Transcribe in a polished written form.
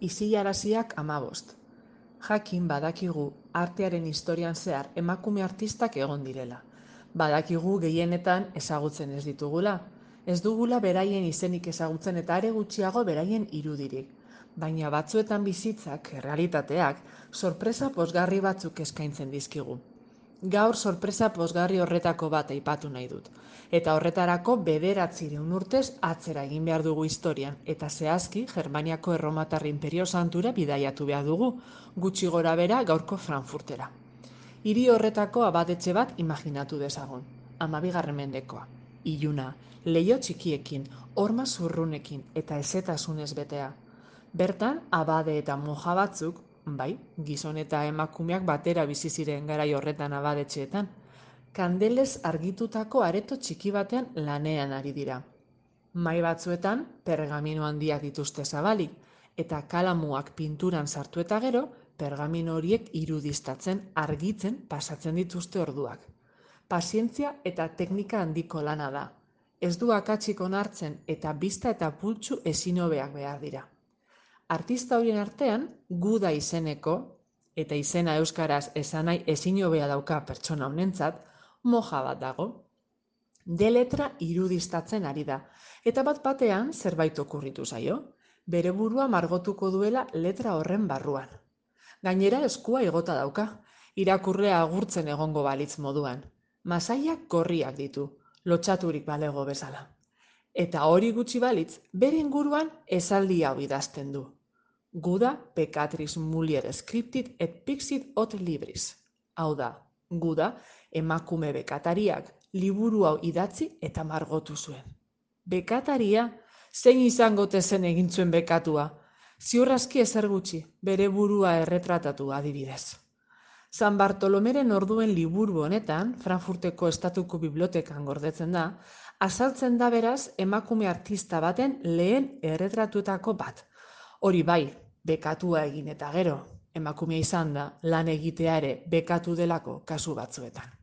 Isilaraziak 15. Jakin badakigu artearen historian zehar emakume artistak egon direla. Badakigu gehienetan ezagutzen ez ditugula. Ez dugula beraien izenik ezagutzen eta are gutxiago beraien irudirik. Baina batzuetan bizitzak, errealitateak, sorpresa pozgarri batzuk eskaintzen dizkigu. Gaur sorpresa pozgarri horretako bat aipatu nahi dut. Eta horretarako 900 urtez atzera egin behar dugu historian, eta zehazki Germaniako Erromatar Inperio Santura bidaiatu behar dugu, gutxi gora bera gaurko Frankfurtera. Hiri horretako abadetxe bat imaginatu dezagun, 12. mendekoa. Iluna, leiho txikiekin, horma zurrunekin eta ezetasunez betea. Bertan, abade eta moja batzuk, bai, gizon eta emakumeak batera bizi ziren garai horretan abadetxeetan, kandelez argitutako areto txiki batean lanean ari dira. Mahai batzuetan pergamino handiak dituzte zabalik, eta kalamuak pinturan sartu eta gero, pergamino horiek irudiztatzen, argitzen pasatzen dituzte orduak. Pazientzia eta teknika handiko lana da. Ez du akatsik onartzen eta bizta eta pultsu ezin hobeak behar dira. Artista horien artean, Guda izeneko, eta izena euskaraz esanai ezin hobea dauka pertsona honentzat, moja bat dago. De letra irudiztatzen ari da, eta bat batean zerbait okurritu zaio, bere burua margotuko duela letra horren barruan. Gainera eskua igota dauka, irakurlea agurtzen egongo balitz moduan. Masaiak gorriak ditu, lotsaturik balego bezala. Eta hori gutxi balitz, bere inguruan esaldi hau idazten du. Guda pecatris mulier scriptit et pixit ot libris. Hau da, Guda emakume bekatariak liburu hau idatzi eta margotu zuen. Bekataria, zein izango zen egin zuen bekatua? Ziur aski ezer gutxi, bere burua erretratatu adibidez. San Bartolomeren orduen liburu honetan, Frankfurteko Estatuko Bibliotekan gordetzen da, azaltzen da beraz emakume artista baten lehen erretratuetako bat. Hori bai, bekatua egin eta gero, emakumea izan da lan egitea ere bekatu delako kasu batzuetan.